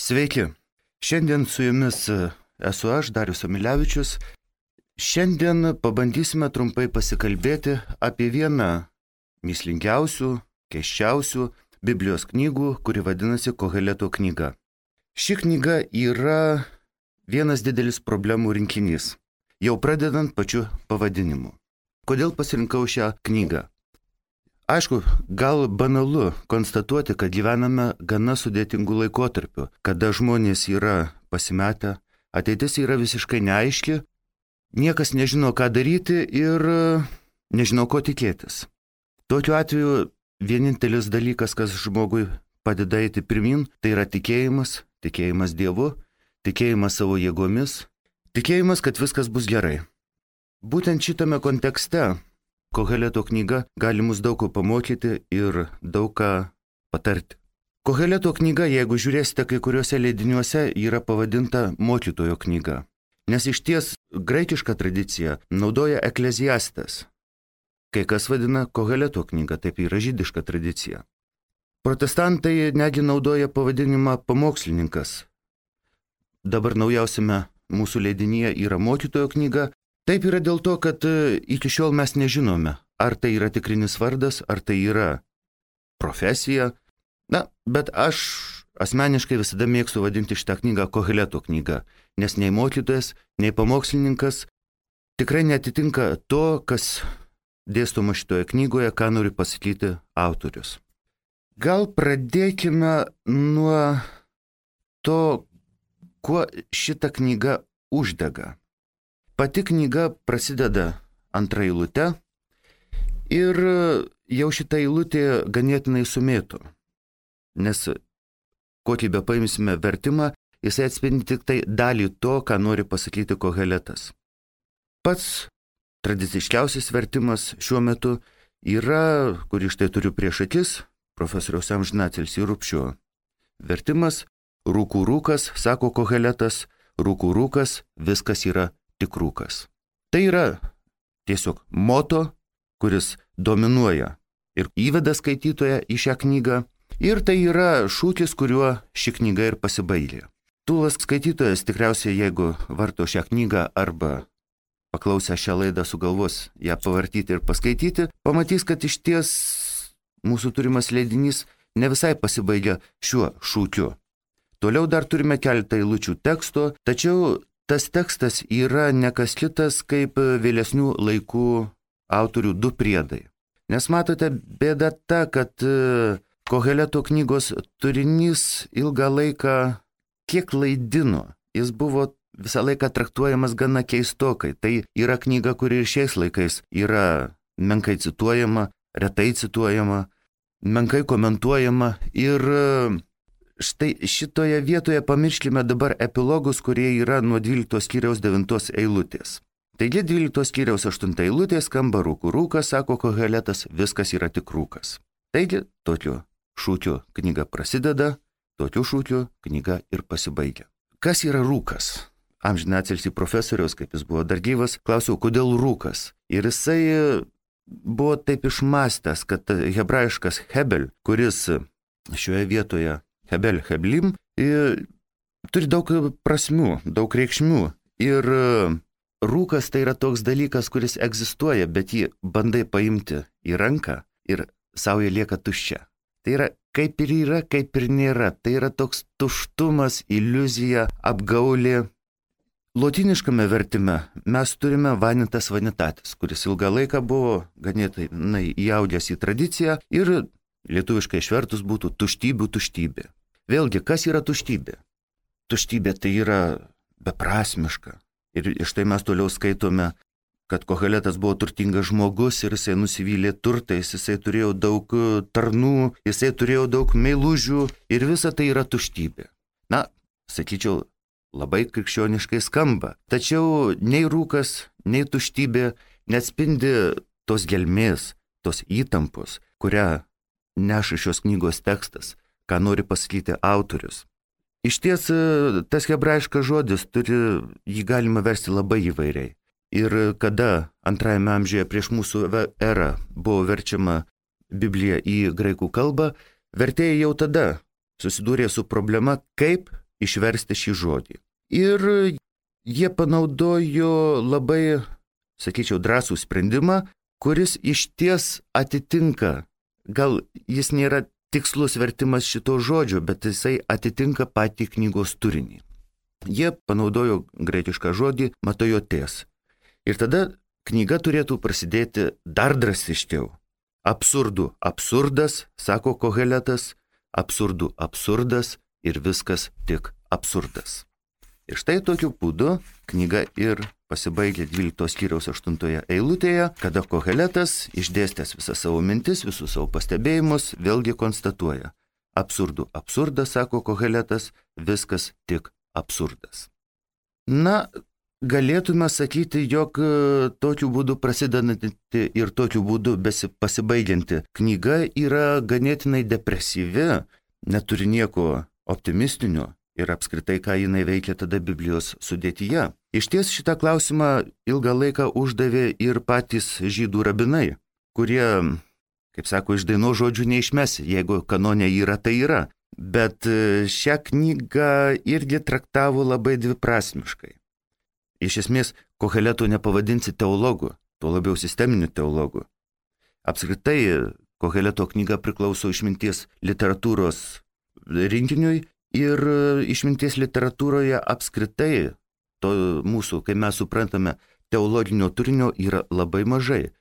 Sveiki. Šiandien su jumis esu aš, Darius Amilevičius. Šiandien pabandysime trumpai pasikalbėti apie vieną mįslingiausių, keisčiausių Biblijos knygų, kuri vadinasi Koheleto knyga. Ši knyga yra vienas didelis problemų rinkinys, jau pradedant pačiu pavadinimu. Kodėl pasirinkau šią knygą? Aišku, gal banalu konstatuoti, kad gyvename gana sudėtingų laikotarpių, kada žmonės yra pasimetę, ateitis yra visiškai neaiški, niekas nežino, ką daryti ir nežino, ko tikėtis. Tokiu atveju vienintelis dalykas, kas žmogui padeda eiti pirmin, tai yra tikėjimas Dievu, tikėjimas savo jėgomis, tikėjimas, kad viskas bus gerai. Būtent šitame kontekste Koheleto knyga gali mus daug ko pamokyti ir daug ką patarti. Koheleto knyga, jeigu žiūrėsite kai kuriuose leidiniuose, yra pavadinta mokytojo knyga, nes iš ties graikišką tradiciją naudoja Ekleziastas. Kai kas vadina Koheleto knyga, taip yra žydiška tradicija. Protestantai negi naudoja pavadinimą pamokslininkas. Dabar naujausiame mūsų leidinyje yra mokytojo knyga. Taip yra dėl to, kad iki šiol mes nežinome, ar tai yra tikrinis vardas, ar tai yra profesija. Bet aš asmeniškai visada mėgstu vadinti šitą knygą Koheleto knyga, nes nei mokytojas, nei pamokslininkas tikrai netitinka to, kas dėstoma šitoje knygoje, ką nori pasakyti autorius. Gal pradėkime nuo to, kuo šita knyga uždega. Pati knyga prasideda antra eilute ir jau šita eilutė ganėtinai sumėtų, nes kokį be paimsime vertimą, jisai atspindi tik tai dalį to, ką nori pasakyti Koheletas. Pats tradiciškiausias vertimas šiuo metu yra, kurį štai turiu prieš akis, profesoriaus amžinatilsį Rupšio vertimas: rūkų rūkas, sako Koheletas, rūkų rūkas, viskas yra tik rūkas. Tai yra tiesiog moto, kuris dominuoja ir įveda skaitytoją į šią knygą, ir tai yra šūkis, kuriuo ši knyga ir pasibaigia. Tūlas skaitytojas tikriausiai, jeigu varto šią knygą arba paklausę šią laidą sugalvos ją pavartyti ir paskaityti, pamatys, kad iš ties mūsų turimas leidinys ne visai pasibaigia šiuo šūkiu. Toliau dar turime keletą eilučių teksto, tačiau tas tekstas yra ne kas kitas kaip vėlesnių laikų autorių du priedai. Nes matote, bėda ta, kad Koheleto knygos turinys ilgą laiką kiek klaidino. Jis buvo visą laiką traktuojamas gana keistokai. Tai yra knyga, kuri ir šiais laikais yra menkai cituojama, retai cituojama, menkai komentuojama. Ir štai šitoje vietoje pamirškime dabar epilogus, kurie yra nuo 12 skyriaus 9 eilutės. Taigi 12 skyriaus 8 eilutė skamba rūkų rūkas, sako Koheletas, viskas yra tik rūkas. Taigi tokiu šūkiu knyga prasideda, tokiu šūkiu knyga ir pasibaigia. Kas yra rūkas? Amžinatilsį profesoriaus, kaip jis buvo dar gyvas, klausiau, kodėl rūkas? Ir jisai buvo taip išmastęs, kad hebrajiškas hebel, kuris šioje vietoje hebel, heblim, turi daug prasmių, daug reikšmių. Ir rūkas tai yra toks dalykas, kuris egzistuoja, bet jį bandai paimti į ranką ir sauja lieka tuščia. Tai yra kaip ir yra, kaip ir nėra. Tai yra toks tuštumas, iliuzija, apgaulė. Lotyniškame vertime mes turime vanitas vanitatis, kuris ilgą laiką buvo ganėtinai įaudęs į tradiciją ir lietuviškai išvertus būtų tuštybių tuštybė. Vėlgi, kas yra tuštybė? Tuštybė tai yra beprasmiška. Ir štai mes toliau skaitome, kad Koheletas buvo turtingas žmogus ir jisai nusivylė turtais, jisai turėjo daug tarnų, jisai turėjo daug meilužių ir visa tai yra tuštybė. Sakyčiau, labai krikščioniškai skamba. Tačiau nei rūkas, nei tuštybė neatspindi tos gelmės, tos įtampos, kurią neša šios knygos tekstas, ką nori pasakyti autorius. Iš ties, tas hebrajiškas žodis jį galima versti labai įvairiai. Ir kada antrajame amžiuje prieš mūsų erą buvo verčiama Biblija į graikų kalbą, vertėjai jau tada susidūrė su problema, kaip išversti šį žodį. Ir jie panaudojo labai, sakyčiau, drąsų sprendimą, kuris išties atitinka, gal jis nėra tikslus vertimas šito žodžio, bet jisai atitinka patį knygos turinį. Jie panaudojo graikišką žodį matojotės. Ir tada knyga turėtų prasidėti dar drastiškiau. Absurdų absurdas, sako Koheletas, absurdų absurdas ir viskas tik absurdas. Ir štai tokiu būdu knyga ir pasibaigia 12 skyriaus 8 eilutėje, kada Koheletas, išdėstęs visas savo mintis, visus savo pastebėjimus, vėlgi konstatuoja. Absurdų absurdas, sako Koheletas, viskas tik absurdas. Na, galėtume sakyti, jog tokiu būdu prasidedanti ir tokiu būdu pasibaigianti knyga yra ganėtinai depresyvi, neturi nieko optimistinio ir apskritai, ką jinai veikia tada Biblijos sudėtyje. Iš ties šitą klausimą ilgą laiką uždavė ir patys žydų rabinai, kurie, kaip sako, iš dainos žodžių neišmesi, jeigu kanone yra, tai yra. Bet šią knygą irgi traktavo labai dviprasmiškai. Iš esmės, Koheleto nepavadinsi teologu, tuo labiau sisteminiu teologu. Apskritai, Koheleto knyga priklauso išminties literatūros rinkiniui ir išminties literatūroje apskritai to mūsų, kai mes suprantame, teologinio turinio yra labai mažai.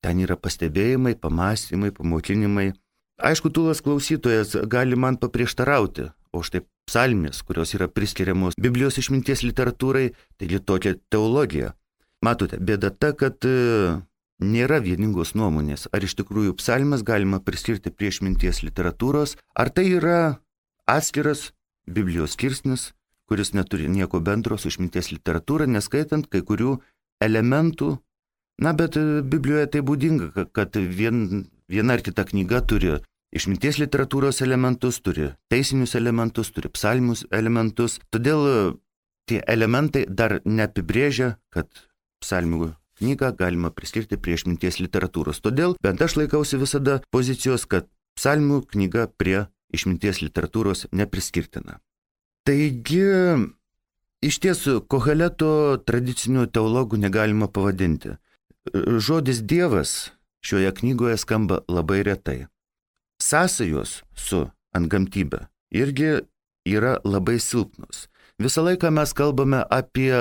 Ten yra pastebėjimai, pamąstymai, pamokinimai. Aišku, tūlas klausytojas gali man paprieštarauti, o štai psalmės, kurios yra priskiriamos Biblijos išminties literatūrai, taigi tokia teologija. Matote, bėda ta, kad nėra vieningos nuomonės, ar iš tikrųjų psalmes galima priskirti prie išminties literatūros, ar tai yra atskiras Biblijos skirsnis, kuris neturi nieko bendro su išminties literatūra, neskaitant kai kurių elementų. Na, bet Biblijoje tai būdinga, kad viena ar kita knyga turi išminties literatūros elementus, turi teisinius elementus, turi psalmius elementus. Todėl tie elementai dar neapibrėžia, kad psalmių knygą galima priskirti prie išminties literatūros. Todėl bent aš laikausi visada pozicijos, kad psalmių knyga prie išminties literatūros nepriskirtina. Taigi, iš tiesų, Koheleto tradicinių teologų negalima pavadinti. Žodis Dievas šioje knygoje skamba labai retai. Sąsajos su antgamtybe irgi yra labai silpnos. Visą laiką mes kalbame apie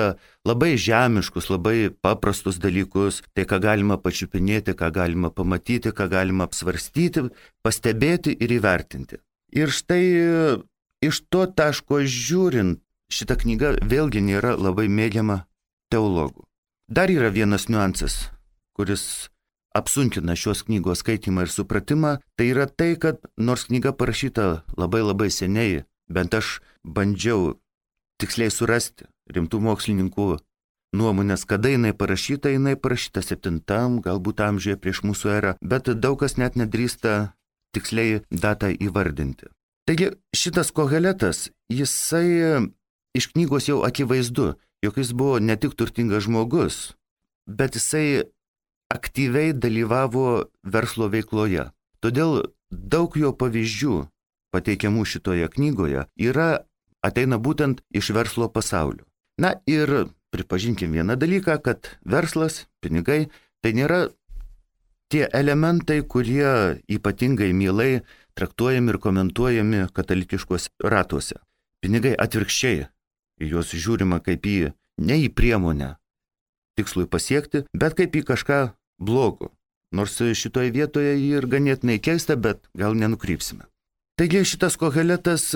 labai žemiškus, labai paprastus dalykus, tai ką galima pačiupinėti, ką galima pamatyti, ką galima apsvarstyti, pastebėti ir įvertinti. Ir štai iš to taško žiūrint, šita knyga vėlgi nėra labai mėgiama teologų. Dar yra vienas niuansas, kuris apsunkina šios knygos skaitimą ir supratimą, tai yra tai, kad nors knyga parašyta labai seniai, bent aš bandžiau tiksliai surasti rimtų mokslininkų nuomonės, kada jinai parašyta 7, galbūt amžiuje prieš mūsų erą, bet daug kas net nedrįsta tiksliai datą įvardinti. Taigi šitas Koheletas, jisai iš knygos jau akivaizdu, jog jis buvo ne tik turtingas žmogus, bet jisai aktyviai dalyvavo verslo veikloje. Todėl daug jo pavyzdžių pateikiamų šitoje knygoje ateina būtent iš verslo pasaulio. Na ir pripažinkim vieną dalyką, kad verslas, pinigai, tai nėra tie elementai, kurie ypatingai mielai traktuojami ir komentuojami katalikiškos ratuose. Pinigai atvirkščiai, juos žiūrima kaip ne į priemonę tikslui pasiekti, bet kaip į kažką blogo. Nors šitoje vietoje ir ganėtinai keista, bet gal nenukrypsime. Taigi šitas Koheletas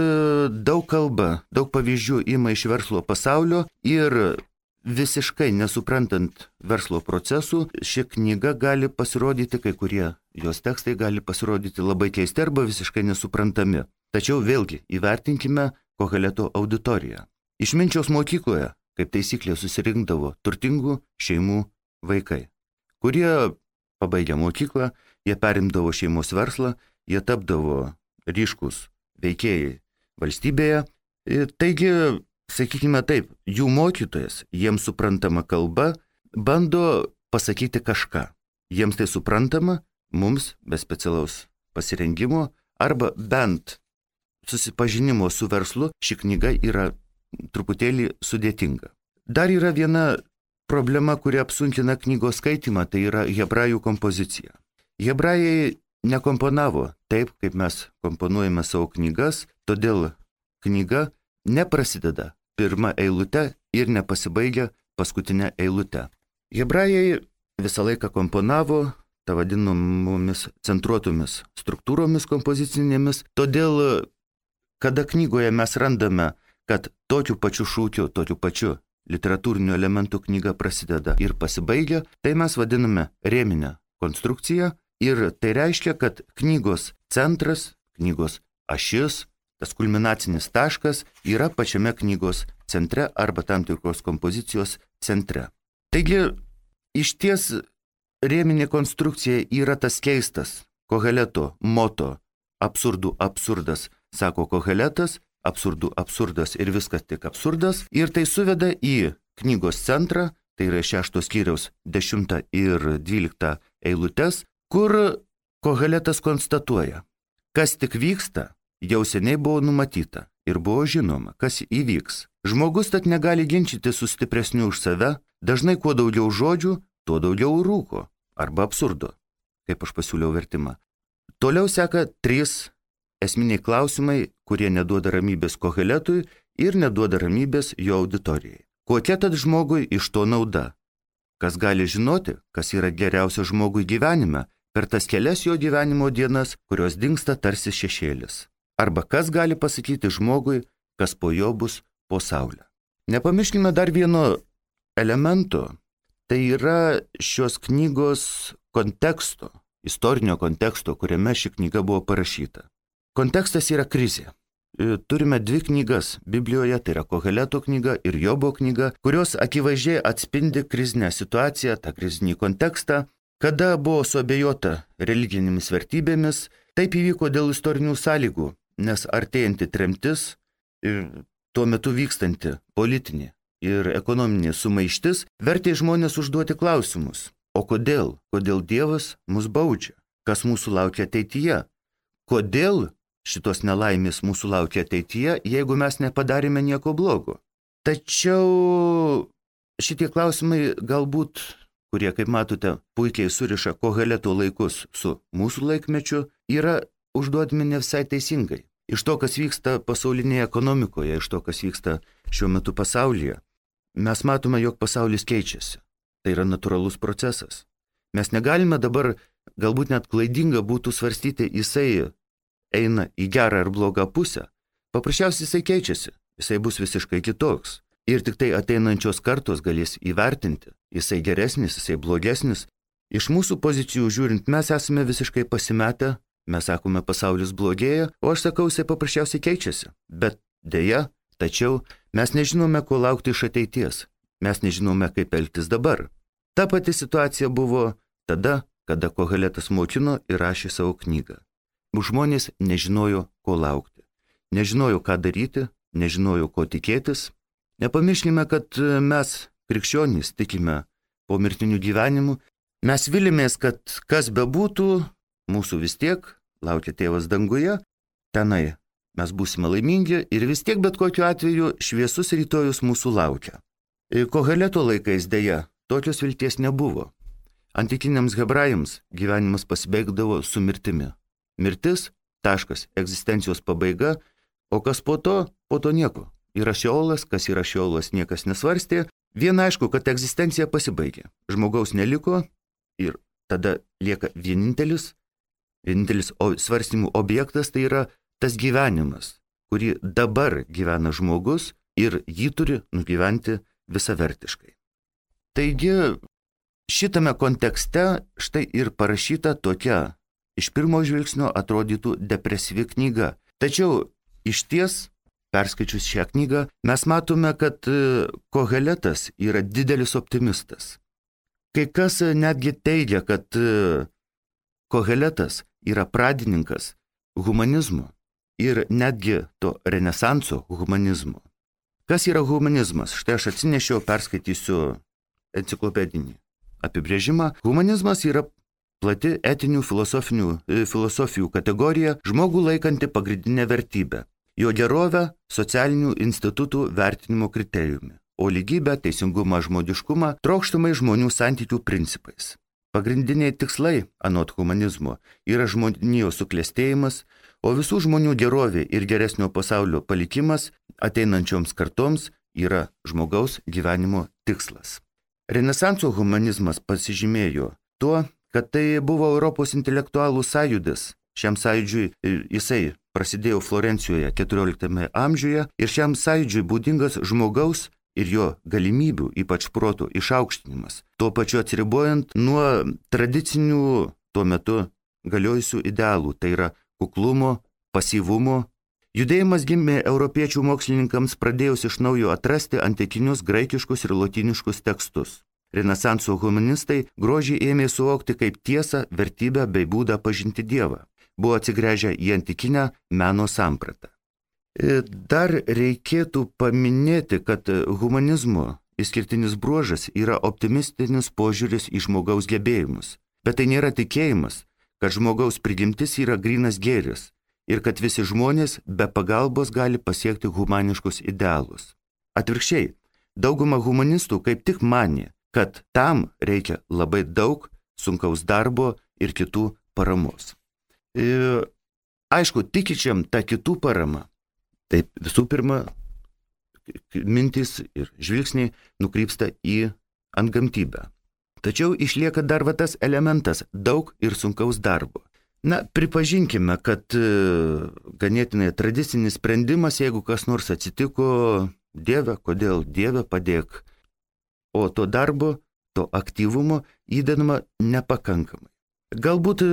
daug kalba, daug pavyzdžių ima iš verslo pasaulio ir visiškai nesuprantant verslo procesų, ši knyga gali pasirodyti, kai kurie jos tekstai gali pasirodyti labai keisti arba visiškai nesuprantami. Tačiau vėlgi įvertinkime Koheleto auditoriją. Išminčiaus mokykloje, kaip taisyklė, susirinkdavo turtingų šeimų vaikai, kurie pabaigę mokyklą, jie perimdavo šeimos verslą, jie tapdavo ryškus veikėjai valstybėje. Taigi, sakykime taip, jų mokytojas, jiems suprantama kalba, bando pasakyti kažką. Jiems tai suprantama, mums be specialaus pasirengimo, arba bent susipažinimo su verslu ši knyga yra truputėlį sudėtinga. Dar yra viena problema, kuri apsunkina knygos skaitymą, tai yra hebrajų kompozicija. Hebrajai nekomponavo taip, kaip mes komponuojame savo knygas, todėl knyga neprasideda pirmą eilutę ir nepasibaigia paskutinę eilutę. Hebrajai visą laiką komponavo tą vadinamomis centruotomis struktūromis kompozicinėmis, todėl kada knygoje mes randame, kad tokiu pačiu šūkiu, tokiu pačiu literatūriniu elementu knyga prasideda ir pasibaigia, tai mes vadiname rėminę konstrukciją ir tai reiškia, kad knygos centras, knygos ašis, tas kulminacinis taškas yra pačiame knygos centre arba tam tikros kompozicijos centre. Taigi, iš ties rėminė konstrukcija yra tas keistas Koheleto moto absurdų absurdas, sako Koheletas, absurdų absurdas ir viskas tik absurdas, ir tai suveda į knygos centrą, tai yra 6 skyriaus 10 ir 12 eilutes, kur Koheletas konstatuoja, kas tik vyksta, jau seniai buvo numatyta ir buvo žinoma, kas įvyks. Žmogus tad negali ginčyti su stipresniu už save, dažnai kuo daugiau žodžių, tuo daugiau rūko arba absurdo, kaip aš pasiūliau vertimą. Toliau seka 3 esminiai klausimai, kurie neduoda ramybės Koheletui ir neduoda ramybės jo auditorijai. Kokia tad žmogui iš to nauda? Kas gali žinoti, kas yra geriausia žmogui gyvenime per tas kelias jo gyvenimo dienas, kurios dingsta tarsi šešėlis? Arba kas gali pasakyti žmogui, kas po jo bus po saulę? Nepamirškime dar vieno elemento, tai yra šios knygos konteksto, istorinio konteksto, kuriame ši knyga buvo parašyta. Kontekstas yra krizė. Turime 2 knygas Biblijoje, tai yra Koheleto knyga ir Jobo knyga, kurios akivaizdžiai atspindi krizinę situaciją, tą krizinį kontekstą, kada buvo suabejota religinėmis vertybėmis. Taip įvyko dėl istorinių sąlygų, nes artėjanti tremtis ir tuo metu vykstanti politinė ir ekonominė sumaištis vertė žmonės užduoti klausimus. O kodėl? Kodėl Dievas mus baudžia? Kas mūsų laukia ateityje? Kodėl šitos nelaimės mūsų laukia ateityje, jeigu mes nepadarėme nieko blogo? Tačiau šitie klausimai galbūt, kurie, kaip matote, puikiai suriša Koheleto laikus su mūsų laikmečiu, yra užduodami ne visai teisingai. Iš to, kas vyksta pasaulinėje ekonomikoje, iš to, kas vyksta šiuo metu pasaulyje, mes matome, jog pasaulis keičiasi. Tai yra natūralus procesas. Mes negalime dabar, galbūt net klaidinga būtų svarstyti, jisai eina į gerą ar blogą pusę. Paprasčiausiai jisai keičiasi, jisai bus visiškai kitoks. Ir tik tai ateinančios kartos galės įvertinti, jisai geresnis, jisai blogesnis. Iš mūsų pozicijų žiūrint, mes esame visiškai pasimetę, mes sakome, pasaulis blogėja, o aš sakau, jisai paprasčiausiai keičiasi. Bet deja, tačiau mes nežinome, ko laukti iš ateities. Mes nežinome, kaip elgtis dabar. Ta pati situacija buvo tada, kada Koheletas mokino ir rašė savo knygą. Žmonės nežinojo, ko laukti. Nežinojo, ką daryti, nežinojo, ko tikėtis. Nepamirškime, kad mes, krikščionys, tikime po mirtinių gyvenimų. Mes vilimės, kad kas bebūtų, mūsų vis tiek laukia tėvas danguje, tenai mes būsime laimingi ir vis tiek bet kokiu atveju šviesus rytojus mūsų laukia. Koheleto laikais dėja tokios vilties nebuvo. Antikiniams hebrajams gyvenimas pasibaigdavo su mirtimi. Mirtis, taškas, egzistencijos pabaiga, o kas po to nieko. Yra šeolas, kas yra šeolas, niekas nesvarstė. Viena aišku, kad egzistencija pasibaigė. Žmogaus neliko ir tada lieka vienintelis svarstymų objektas, tai yra tas gyvenimas, kurį dabar gyvena žmogus ir jį turi nugyventi visavertiškai. Taigi, šitame kontekste štai ir parašyta tokia iš pirmo žvilgsnio atrodytų depresyvi knyga. Tačiau iš ties, perskaičius šią knygą, mes matome, kad Koheletas yra didelis optimistas. Kai kas netgi teigia, kad Koheletas yra pradininkas humanizmo ir netgi to renesanso humanizmo. Kas yra humanizmas? Štai aš atsinešiau, perskaitysiu enciklopedinį apibrėžimą. Humanizmas yra plati etinių filosofijų kategorija, žmogų laikanti pagrindinę vertybę. jo gerovę socialinių institutų vertinimo kriterijumi, o lygybę, teisingumą, žmogiškumą trokštamai žmonių santykių principais. Pagrindiniai tikslai, anot humanizmo, yra žmonijos suklestėjimas, o visų žmonių gerovė ir geresnio pasaulio palikimas ateinančioms kartoms yra žmogaus gyvenimo tikslas. Renesanso humanizmas pasižymėjo tuo, kad tai buvo Europos intelektualų sąjūdis. Šiam sąjūdžiui jisai prasidėjo Florencijoje XIV amžiuje ir šiam sąjūdžiui būdingas žmogaus ir jo galimybių, ypač proto išaukštinimas, tuo pačiu atsiribojant nuo tradicinių tuo metu galiojusių idealų, tai yra kuklumo, pasyvumo. Judėjimas gimė europiečių mokslininkams pradėjus iš naujo atrasti antikinius graikiškus ir lotyniškus tekstus. Renesanso humanistai grožį ėmė suvokti kaip tiesą, vertybę bei būdą pažinti Dievą. Buvo atsigręžę į antikinę meno sampratą. Dar reikėtų paminėti, kad humanizmo išskirtinis bruožas yra optimistinis požiūris į žmogaus gebėjimus. Bet tai nėra tikėjimas, kad žmogaus prigimtis yra grynas gėris ir kad visi žmonės be pagalbos gali pasiekti humaniškus idealus. Atvirkščiai, dauguma humanistų kaip tik manė, kad tam reikia labai daug sunkaus darbo ir kitų paramos. Aišku, tikinčiam ta kitų parama. Taip visų pirma, mintis ir žvilgsniai nukrypsta į antgamtybę. Tačiau išlieka dar tas elementas daug ir sunkaus darbo. Na, pripažinkime, kad ganėtinai tradicinis sprendimas, jeigu kas nors atsitiko, Dieve, kodėl Dieve padėk, o to darbo, to aktyvumo įdedama nepakankamai. Galbūt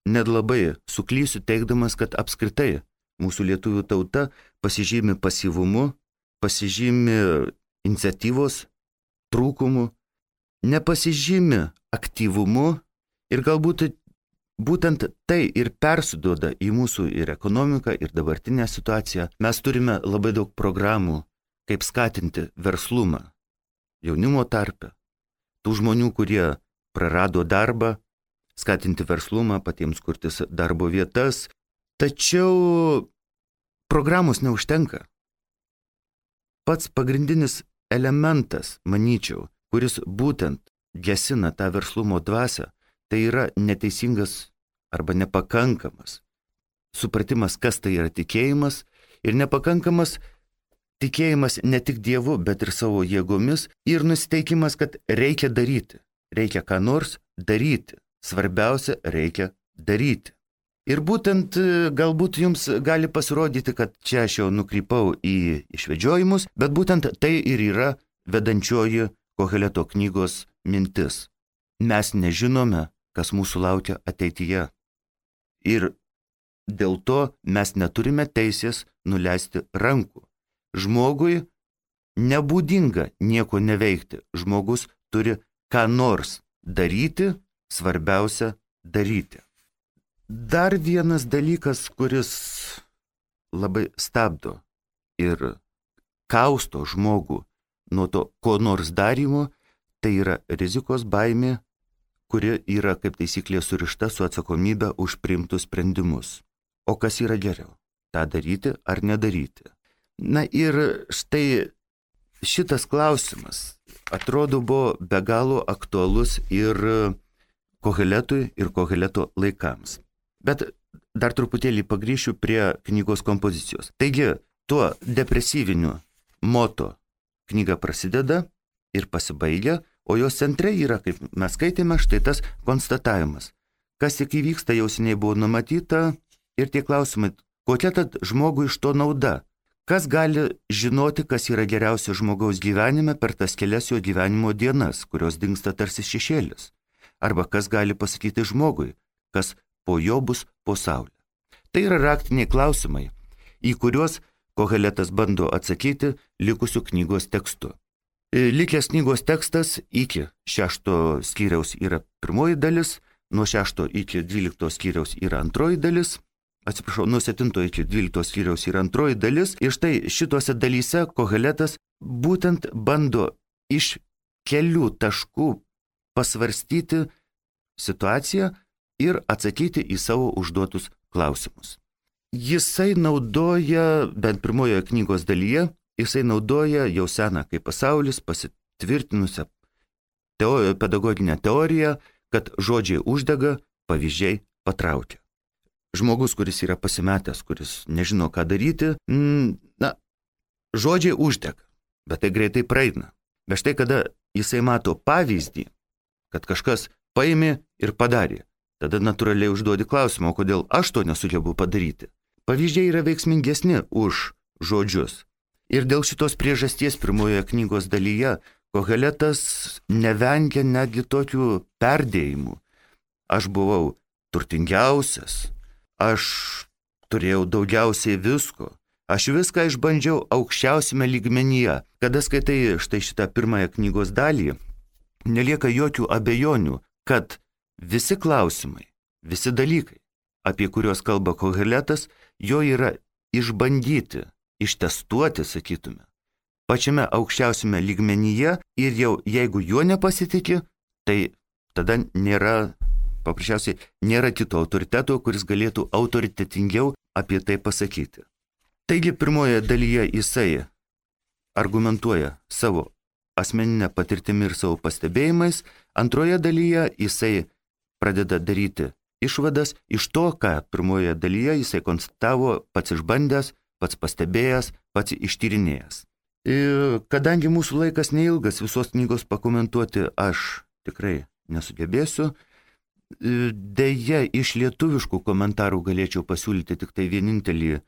net labai suklysiu teigdamas, kad apskritai mūsų lietuvių tauta pasižymi pasyvumu, pasižymi iniciatyvos trūkumu, nepasižymi aktyvumu ir galbūt būtent tai ir persiduoda į mūsų ir ekonomiką, ir dabartinę situaciją. Mes turime labai daug programų, kaip skatinti verslumą jaunimo tarpe, tų žmonių, kurie prarado darbą, skatinti verslumą, patiems kurtis darbo vietas. Tačiau programos neužtenka. Pats pagrindinis elementas, manyčiau, kuris būtent gesina tą verslumo dvasią, tai yra neteisingas arba nepakankamas supratimas, kas tai yra tikėjimas, ir nepakankamas tikėjimas ne tik Dievu, bet ir savo jėgomis, ir nusiteikimas, kad reikia daryti, reikia ką nors daryti, svarbiausia, reikia daryti. Ir būtent galbūt jums gali pasirodyti, kad čia aš jau nukrypau į išvedžiojimus, bet būtent tai ir yra vedančioji Koheleto knygos mintis. Mes nežinome, kas mūsų laukia ateityje. Ir dėl to mes neturime teisės nuleisti rankų. Žmogui nebūdinga nieko neveikti. Žmogus turi ką nors daryti, svarbiausia daryti. Dar vienas dalykas, kuris labai stabdo ir kausto žmogų nuo to ko nors darymo, tai yra rizikos baimė, kuri yra kaip taisyklė surišta su atsakomybė už priimtus sprendimus. O kas yra geriau? tą daryti ar nedaryti. Na ir štai šitas klausimas atrodo buvo be galo aktualus ir Koheletui ir Koheleto laikams. Bet dar truputėlį pagrįšiu prie knygos kompozicijos. Taigi, tuo depresyviniu moto knyga prasideda ir pasibaigia, o jos centre yra, kaip mes skaitėme, štai tas konstatavimas. Kas tik įvyksta, jau seniai buvo numatyta ir tie klausimai, kokia tad žmogui iš to nauda? Kas gali žinoti, kas yra geriausia žmogaus gyvenime per tas kelias jo gyvenimo dienas, kurios dingsta tarsi šešėlis? Arba kas gali pasakyti žmogui, kas po jo bus po saulę? Tai yra raktiniai klausimai, į kuriuos Koheletas bando atsakyti likusių knygos tekstu. Likęs knygos tekstas iki 6 skyriaus yra pirmoji dalis, nuo 6 iki 12 skyriaus yra antroji dalis, nuo 7 iki 12 skyriaus yra antroji dalis, ir štai šitose dalyse Koheletas būtent bando iš kelių taškų pasvarstyti situaciją ir atsakyti į savo užduotus klausimus. Jisai naudoja, bent pirmojoje knygos dalyje, jisai naudoja jau seną kaip pasaulis pasitvirtinusią pedagoginę teoriją, kad žodžiai uždega, pavyzdžiai patraukia. Žmogus, kuris yra pasimetęs, kuris nežino, ką daryti, žodžiai uždega, bet tai greitai praeina. Bet štai kada jisai mato pavyzdį, kad kažkas paėmė ir padarė, tada natūraliai užduodi klausimą, o kodėl aš to nesugebu padaryti. Pavyzdžiai yra veiksmingesni už žodžius. Ir dėl šitos priežasties pirmojoje knygos dalyje Koheletas nevengia netgi tokių perdėjimų. Aš buvau turtingiausias, aš turėjau daugiausiai visko, aš viską išbandžiau aukščiausiame lygmenyje. Kada skaitai štai šitą pirmąją knygos dalį, nelieka jokių abejonių, kad visi klausimai, visi dalykai, apie kuriuos kalba Koheletas, jo yra išbandyti, ištestuoti, sakytume, pačiame aukščiausiame lygmenyje ir jau jeigu juo nepasitikė, tai tada paprasčiausiai nėra kito autoriteto, kuris galėtų autoritetingiau apie tai pasakyti. Taigi pirmoje dalyje jisai argumentuoja savo asmeninę patirtimį ir savo pastebėjimais, antroje dalyje jisai pradeda daryti išvadas iš to, ką pirmoje dalyje jisai konstatavo pats išbandęs, pats pastebėjęs, pats ištyrinėjęs. Ir kadangi mūsų laikas neilgas, visos knygos pakomentuoti aš tikrai nesugebėsiu, deja iš lietuviškų komentarų galėčiau pasiūlyti tik tai vienintelį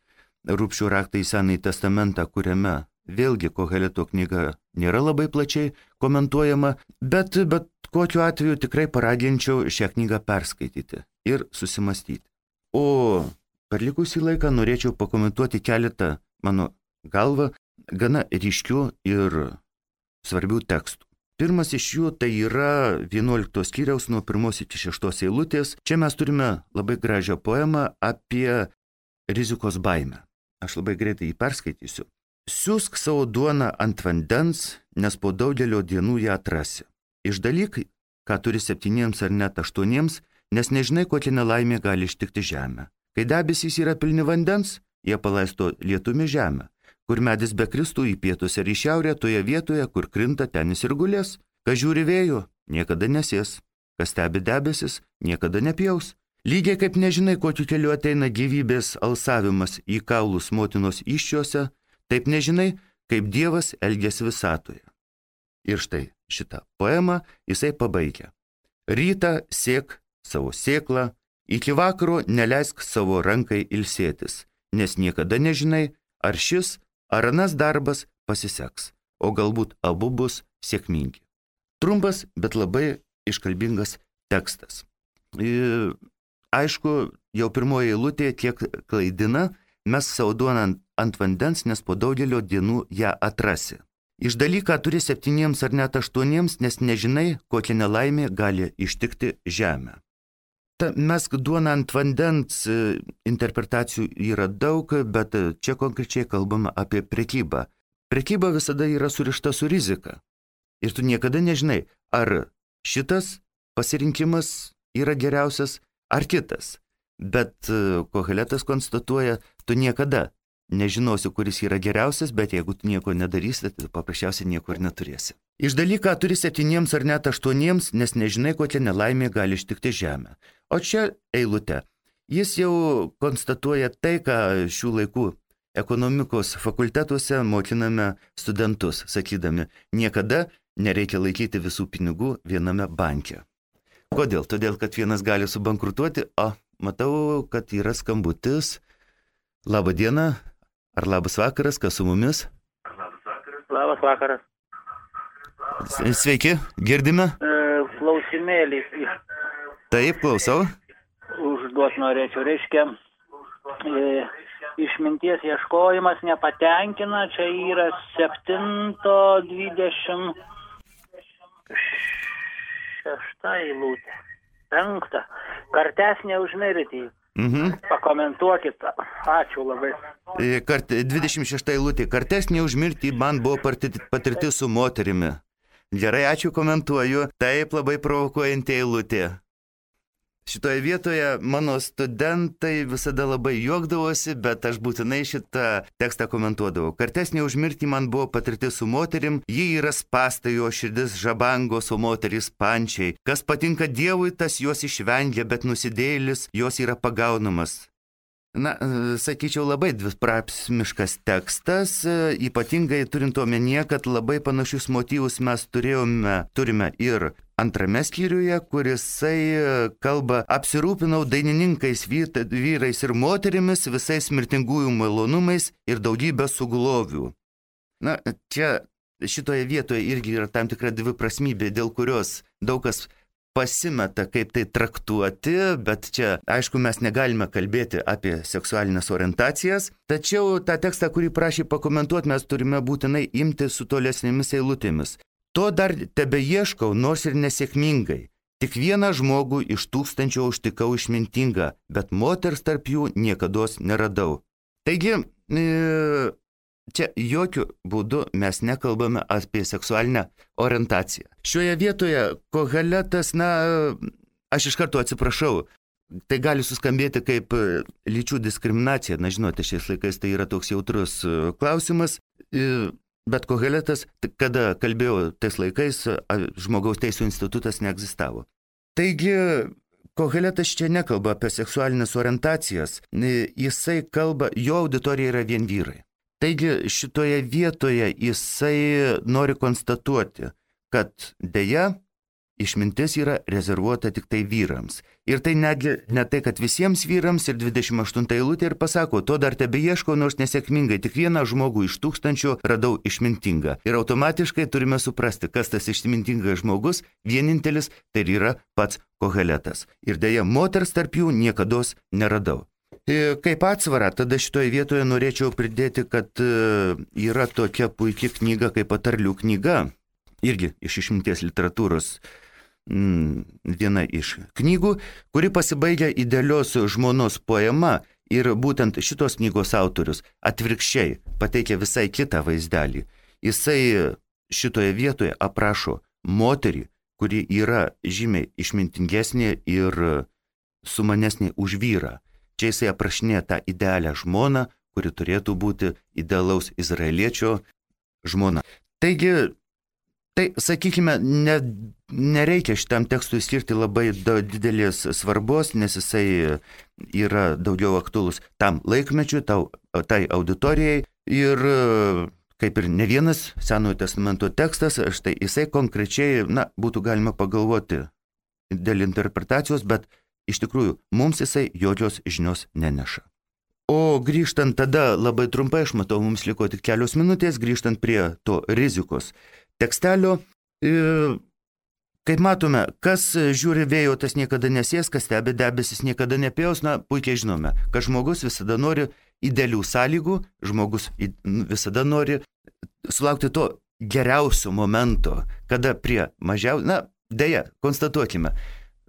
Rubšio raktą į Senąjį testamentą, kuriame vėlgi Koheleto knyga nėra labai plačiai komentuojama, bet kokiu atveju tikrai paraginčiau šią knygą perskaityti ir susimastyti. O per likusį laiką norėčiau pakomentuoti keletą, mano galva, gana ryškių ir svarbių tekstų. Pirmas iš jų tai yra 11 skyriaus nuo 1 iki 6 eilutės. Čia mes turime labai gražią poemą apie rizikos baimę. Aš labai greitai jį perskaitysiu. Siūsk savo duoną ant vandens, nes po daugelio dienų ją atrasi. Išdalyk, ką turi 7 ar net 8, nes nežinai, kokia nelaimė gali ištikti žemę. Kai debesys yra pilni vandens, jie palaisto lietumi žemę. Kur medis be kristų į pietus ir į šiaurę, toje vietoje, kur krinta, ten jis ir gulės. Kas žiūri vėjo, niekada nesės. Kas stebi debesis, niekada nepjaus. Lygiai kaip nežinai, kokiu keliu ateina gyvybės alsavimas į kaulus motinos įsčiuose, taip nežinai, kaip Dievas elgiasi visatoje. Ir štai šitą poemą jisai pabaigia. Rytą sėk savo sėklą, iki vakaro neleisk savo rankai ilsėtis, nes niekada nežinai, ar šis ar anas darbas pasiseks, o galbūt abu bus sėkmingi. Trumpas, bet labai iškalbingas tekstas. Aišku, jau pirmoji eilutė kiek klaidina, mes savo duoną ant vandens, nes po daugelio dienų ją atrasi. Išdalyk, ką turi 7 ar net 8, nes nežinai, kokia nelaimė gali ištikti žemę. Mesk duoną ant vandens interpretacijų yra daug, bet čia konkrečiai kalbama apie prekybą. Prekyba visada yra surišta su rizika. Ir tu niekada nežinai, ar šitas pasirinkimas yra geriausias, ar kitas. Bet Koheletas konstatuoja, tu niekada nežinosi, kuris yra geriausias, bet jeigu tu nieko nedarysi, tai paprasčiausiai nieko ir neturėsi. Išdalyk, ką turi 7 ar net 8, nes nežinai, kokia nelaimė gali ištikti žemę. O čia eilutė. Jis jau konstatuoja tai, ką šių laikų ekonomikos fakultetuose mokiname studentus, sakydami, niekada nereikia laikyti visų pinigų viename banke. Kodėl? Todėl, kad vienas gali subankrutuoti, o matau, kad yra skambutis. Labą dieną, ar labas vakaras, kas su mumis? Labas vakaras. Sveiki, girdime? Klausimėlį. Taip, klausau. Užduot norėčiau, reiškia, išminties ieškojimas nepatenkina, čia yra 7:26 eilutė. 5. Kartes neužmirti. Pakomentuokit. Ačiū labai. 26 eilutė. Kartes neužmirti man buvo patirtis su moterimi. Gerai, ačiū, komentuoju. Taip, labai provokuojanti eilutė. Šitoje vietoje mano studentai visada labai juokdavosi, bet aš būtinai šitą tekstą komentuodavau. Kartesnė už mirtį man buvo patirtis su moterim, ji yra spasta, jo širdis žabangos, o moterys pančiai. Kas patinka Dievui, tas juos išvengia, bet nusidėjėlis jos yra pagaunamas. Na, sakyčiau, labai dviprasmiškas tekstas, ypatingai turint omenyje, kad labai panašius motyvus mes turime ir antrame skyriuje, kurisai kalba apsirūpinau dainininkais, vyrais ir moterimis, visais mirtingųjų malonumais ir daugybę suglovių. Na, čia šitoje vietoje irgi yra tam tikra dviprasmybė, dėl kurios daug kas pasimeta, kaip tai traktuoti, bet čia, aišku, mes negalime kalbėti apie seksualinės orientacijas, tačiau tą tekstą, kurį prašė pakomentuoti, mes turime būtinai imti su tolesnėmis eilutėmis. To dar tebeieškau, nors ir nesėkmingai. Tik vieną žmogų iš 1000 užtikau išmintingą, bet moters tarp jų niekados neradau. Taigi, čia jokių būdų mes nekalbame apie seksualinę orientaciją. Šioje vietoje Koheletas, aš iš karto atsiprašau, tai gali suskambėti kaip lyčių diskriminacija. Na, žinote, šiais laikais tai yra toks jautrus klausimas, bet Koheletas, kada kalbėjo tais laikais, žmogaus teisų institutas neegzistavo. Taigi, Koheletas čia nekalba apie seksualinės orientacijas, jisai kalba, jo auditorija yra vien vyrai. Taigi šitoje vietoje jisai nori konstatuoti, kad deja išmintis yra rezervuota tik tai vyrams. Ir tai netgi ne tai, kad visiems vyrams, ir 28 eilutė ir pasako, to dar tebeieškau, nors nesėkmingai, tik vieną žmogų iš 1000 radau išmintingą. Ir automatiškai turime suprasti, kas tas išmintingas žmogus, vienintelis, tai yra pats Koheletas. Ir deja, moters tarp jų niekados neradau. Kaip atsvara, tada šitoje vietoje norėčiau pridėti, kad yra tokia puikia knyga kaip Patarlių knyga, irgi iš išminties literatūros viena iš knygų, kuri pasibaigia idealios žmonos poema ir būtent šitos knygos autorius atvirkščiai pateikia visai kitą vaizdelį. Jisai šitoje vietoje aprašo moterį, kuri yra žymiai išmintingesnė ir sumanesnė už vyrą. Čia jisai aprašinė tą idealią žmoną, kuri turėtų būti idealaus izraeliečio žmona. Taigi, tai, sakykime, nereikia šitam tekstui skirti labai didelės svarbos, nes jisai yra daugiau aktualus tam laikmečiui, tai auditorijai. Ir kaip ir ne vienas Senojo testamento tekstas, štai jisai konkrečiai, būtų galima pagalvoti dėl interpretacijos, bet iš tikrųjų, mums jisai jokios žinios neneša. O grįžtant tada, labai trumpai, aš matau, mums liko tik kelios minutės, grįžtant prie to rizikos tekstelio, kaip matome, kas žiūri vėjo, tas niekada nesės, kas stebi debesis, niekada nepjaus, puikiai žinome, kad žmogus visada nori idealių sąlygų, žmogus visada nori sulaukti to geriausio momento, kada prie deja, konstatuokime,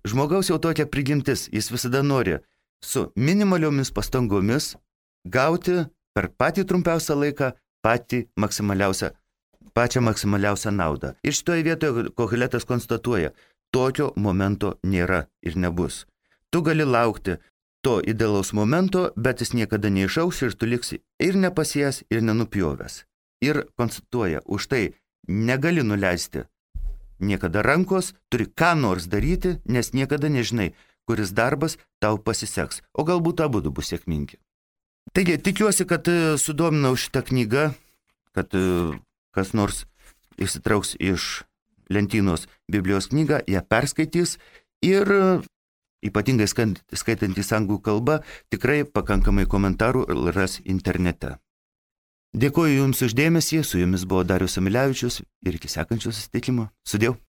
žmogaus jau tokia prigimtis, jis visada nori su minimaliomis pastangomis gauti per patį trumpiausią laiką pačią maksimaliausią naudą. Ir šitoje vietoje Koheletas konstatuoja, tokio momento nėra ir nebus. Tu gali laukti to idealaus momento, bet jis niekada neišauš ir tu liksi ir nepasėjęs, ir nenupjovęs. Ir konstatuoja, už tai negali nuleisti niekada rankos, turi ką nors daryti, nes niekada nežinai, kuris darbas tau pasiseks, o galbūt abudu bus sėkmingi. Taigi, tikiuosi, kad sudominau šitą knygą, kad kas nors išsitrauks iš lentynos Biblijos knygą, ją perskaitys ir ypatingai skaitantys anglų kalbą, tikrai pakankamai komentarų ras internete. Dėkuoju Jums už dėmesį, su Jumis buvo Darius Amilevičius ir iki sekančio susitikimo. Sudiev.